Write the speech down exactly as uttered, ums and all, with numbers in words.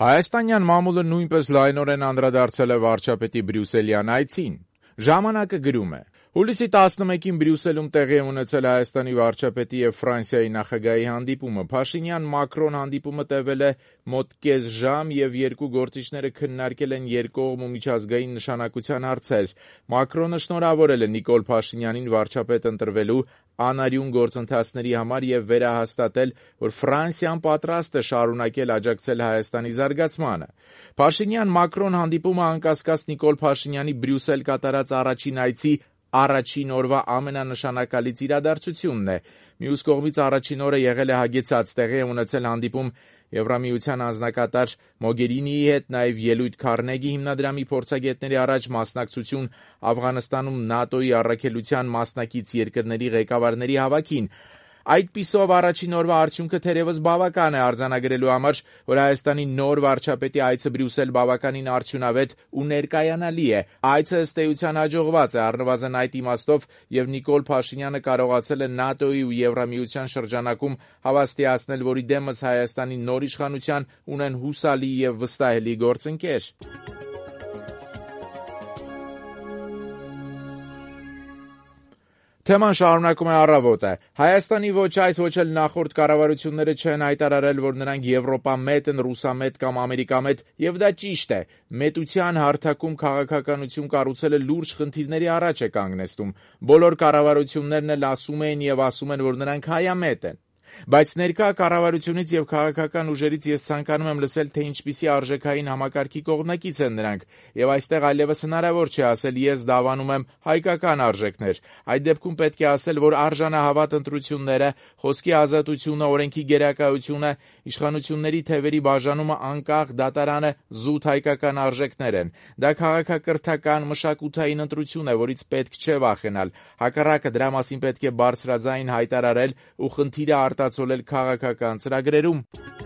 Հայաստանյան մամուլը նույնպես լայնորեն անդրադարձել է վարչապետի Բրյուսելյան այցին։ Ժամանակը գրում է. Հուլիսի տասնմեկին Բրյուսելում տեղի է ունեցել Հայաստանի վարչապետի և Ֆրանսիայի նախագահի հանդիպումը։ Փաշինյան-Մակրոն հանդիպումը տևել է մոտ կես ժամ և երկու գործիչները քննարկել են երկկողմ ու միջազգային նշանակության հարցեր։ Մակրոնը շնորհավորել է Նիկոլ Փաշինյանին վարչապետ ընտրվելու անարյուն գործընթացների համար և վերահաստատել, որ Ֆրանսիան պատրաստ է շարունակել աջակցել Հայաստանի զարգացմանը։ Փաշինյան-Մակրոն հանդիպումը անկասկած Նիկոլ Փաշինյանի Բրյուսել կատարած առաջին այցի առաջին օրվա ամենանշանակալից իրադարձությունն է։ Մյուս կողմից առաջին օրը եղել է հագեցած, տեղի է ունեցել հանդիպում Եվրամիության անձնակատար Մոգերինիի հետ, նաև ելույթ Քարնեգի հիմնադրամի փորձագետների առաջ, մասնակցություն Աֆղանստանում ՆԱՏՕ-ի առաքելության մասնակից երկրների ղեկավարների հավաքին։ Այդպիսով առաջին օրվա արդյունքը թերևս բավական է արձանագրելու համար, որ Հայաստանի նոր վարչապետի այցը Բրյուսել բավականին արդյունավետ ու ներկայանալի է։ Այցը ըստ էության հաջողված է, առնվազն այդ իմաստով, և Նիկոլ Փաշինյանը կարողացել է ՆԱՏՕ-ի ու Եվրամիության շրջանակում հավաստիացնել, որ իդեմս Հայաստանի նոր իշխանության ունեն հուսալի և վստահելի գործընկեր։ Թեման շարունակում է «Առավոտը»։ Հայաստանի ոչ այս, ոչ էլ նախորդ կառավարությունները չեն հայտարարել, որ նրանք եվրոպամետ են, ռուսամետ կամ ամերիկամետ, և դա ճիշտ է։ Մետության հարթակում քաղաքականություն կառուցելը լուրջ խնդիրների առաջ է կանգնեցնում։ Բոլոր կառավարություններն էլ ասում էին և ասում են, որ նրանք հայամետ են։ Բայց ներկա կառավարությունից և քաղաքական ուժերից ես ցանկանում եմ լսել, թե ինչպիսի արժեքային համակարգի կողմնակից են նրանք, և այստեղ այլևս հնարավոր չէ ասել «ես դավանում եմ հայկական արժեքներ»։ Այդ դեպքում պետք է ասել, որ արժանահավատ ընտրությունները, խոսքի ազատությունը, օրենքի գերակայությունը, իշխանությունների թևերի բաժանումը, անկախ դատարանը զուտ հայկական արժեքներ են։ Դա քաղաքակրթական, մշակութային ընտրություն է, որից պետք չէ վախենալ։ Հակառակը, դրա մասին պետք է բարձրաձայն հայտարարել ու խնդիրը արտացոլել քաղաքական ծրագրերում։